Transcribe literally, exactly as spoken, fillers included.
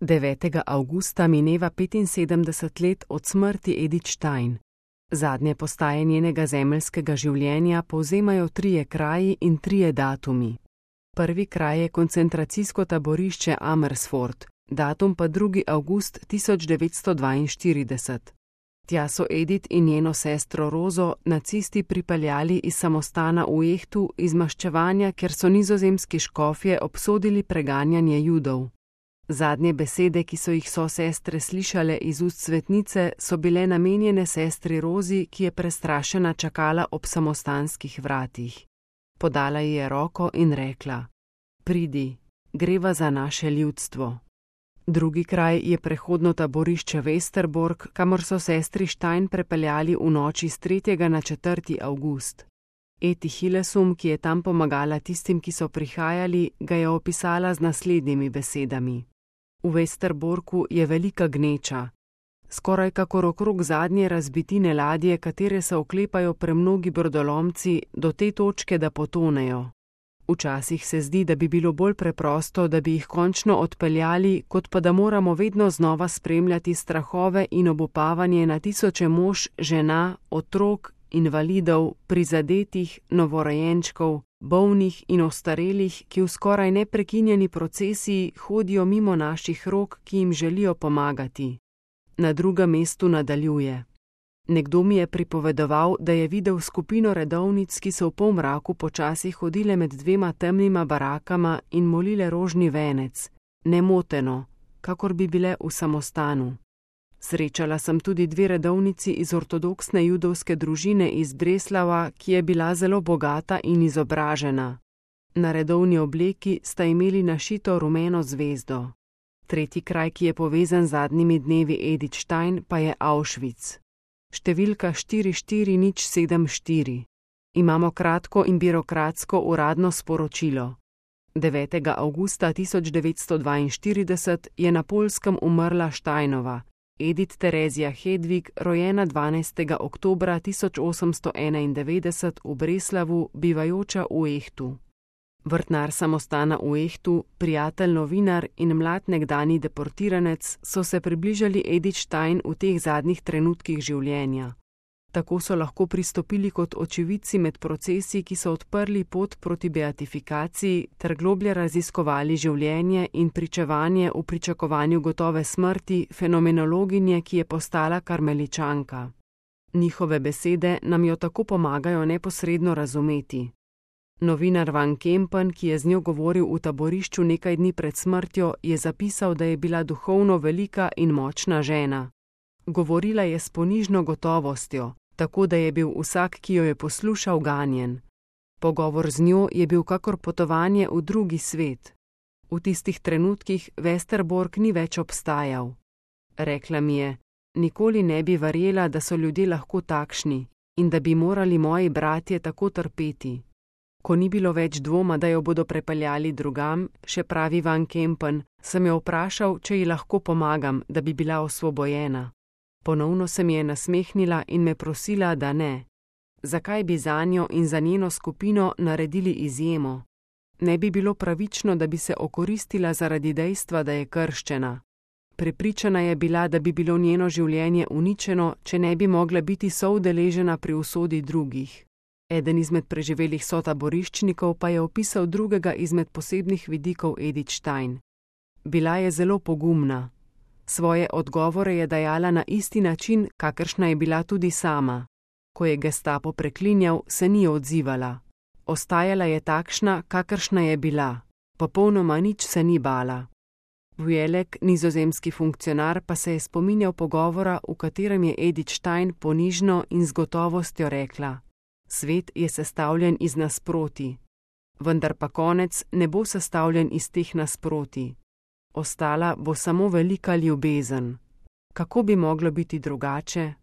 devetega avgusta mineva petinsedemdeset let od smrti Edith Stein. Zadnje postaje njenega zemeljskega življenja povzemajo trije kraji in trije datumi. Prvi kraj je koncentracijsko taborišče Amersfoort, datum pa drugi avgust tisoč devetsto dvainštirideset. Tja so Edith in njeno sestro Rozo nacisti pripeljali iz samostana v Ehtu iz maščevanja, ker so nizozemski škofje obsodili preganjanje Judov. Zadnje besede, ki so jih sosestre slišale iz ust svetnice, so bile namenjene sestri Rozi, ki je prestrašena čakala ob samostanskih vratih. Podala ji je roko in rekla: "Pridi, greva za naše ljudstvo." Drugi kraj je prehodno taborišče Westerbork, kamor so sestri Stein prepeljali v noči s tretjega na četrti avgust. Eti Hillesum, ki je tam pomagala tistim, ki so prihajali, ga je opisala z naslednjimi besedami. V Westerborku je velika gneča, skoraj kakor okrog zadnje razbitine ladje, katere se oklepajo premnogi brodolomci do te točke, da potonejo. Včasih se zdi, da bi bilo bolj preprosto, da bi jih končno odpeljali, kot pa da moramo vedno znova spremljati strahove in obupavanje na tisoče mož, žena, otrok, invalidov, prizadetih, novorojenčkov, bolnih in ostarelih, ki v skoraj neprekinjeni procesiji hodijo mimo naših rok, ki jim želijo pomagati. Na drugem mestu nadaljuje. Nekdo mi je pripovedoval, da je videl skupino redovnic, ki so v polmraku počasi hodile med dvema temnima barakama in molile rožni venec, nemoteno, kakor bi bile v samostanu. Srečala sem tudi dve redovnici iz ortodoksne judovske družine iz Breslava, ki je bila zelo bogata in izobražena. Na redovni obleki sta imeli našito rumeno zvezdo. Tretji kraj, ki je povezan z zadnjimi dnevi Edith Stein, pa je Auschwitz. Številka štiri štiri nič sedem štiri. Imamo kratko in birokratsko uradno sporočilo. devetega avgusta tisoč devetsto dvainštirideset je na Poljskem umrla Steinova, Edith Terezija Hedvig, rojena dvanajstega oktobra tisoč osemsto enaindevetdeset v Breslavu, bivajoča v Ehtu. Vrtnar samostana v Ehtu, prijatelj novinar in mlad nekdani deportiranec so se približali Edith Stein v teh zadnjih trenutkih življenja. Tako so lahko pristopili kot očividci med procesi, ki so odprli pot proti beatifikaciji ter globlje raziskovali življenje in pričevanje v pričakovanju gotove smrti fenomenologinje, ki je postala karmeličanka. Njihove besede nam jo tako pomagajo neposredno razumeti. Novinar Van Kempen, ki je z njo govoril v taborišču nekaj dni pred smrtjo, je zapisal, da je bila duhovno velika in močna žena. Govorila je s ponižno gotovostjo, tako da je bil vsak, ki jo je poslušal, ganjen. Pogovor z njo je bil kakor potovanje v drugi svet. V tistih trenutkih Westerbork ni več obstajal. Rekla mi je: "Nikoli ne bi verjela, da so ljudje lahko takšni in da bi morali moji bratje tako trpeti." Ko ni bilo več dvoma, da jo bodo prepeljali drugam, še pravi Van Kempen, sem jo vprašal, če ji lahko pomagam, da bi bila osvobojena. Ponovno se mi je nasmehnila in me prosila, da ne. Zakaj bi zanjo in za njeno skupino naredili izjemo? Ne bi bilo pravično, da bi se okoristila zaradi dejstva, da je krščena. Prepričana je bila, da bi bilo njeno življenje uničeno, če ne bi mogla biti soudeležena pri usodi drugih. Eden izmed preživelih sotaboriščnikov pa je opisal drugega izmed posebnih vidikov Edith Stein. Bila je zelo pogumna. Svoje odgovore je dajala na isti način, kakršna je bila tudi sama. Ko je gestapo preklinjal, se ni odzivala. Ostajala je takšna, kakršna je bila. Popolnoma nič se ni bala. Vujelek, nizozemski funkcionar, pa se je spominjal pogovora, v katerem je Edith Stein ponižno in z gotovostjo rekla: "Svet je sestavljen iz nasprotij, vendar pa konec ne bo sestavljen iz teh nasprotij. Ostala bo samo velika ljubezen. Kako bi moglo biti drugače?"